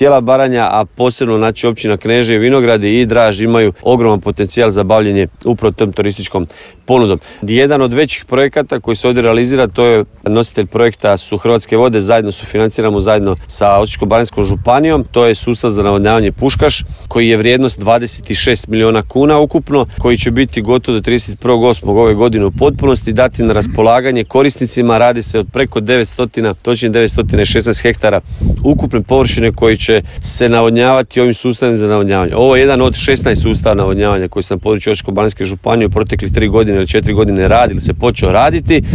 cijela Baranja, a posebno znači općina Knežije, Vinogradi i Draž imaju ogroman potencijal za bavljenje upravo tom turističkom ponudom. Jedan od većih projekata koji se ovdje realizira, to je nositelj projekta su Hrvatske vode, zajedno sufinanciramo zajedno sa Osječko-baranjskom županijom. To je sustav za navodnjavanje Puškaš koji je vrijednost 26 milijuna kuna ukupno, koji će biti gotov do 31.8. ove godine u potpunosti, dati na raspolaganje korisnicima. Radi se od preko 900, točnije 916 hektara ukupne površine koji će se navodnjavati ovim sustavima za navodnjavanje. Ovo je jedan od 16 sustava navodnjavanja koji se na području Osječko-baranjske županije u proteklih 3 godine ili 4 godine radi ili se počeo raditi.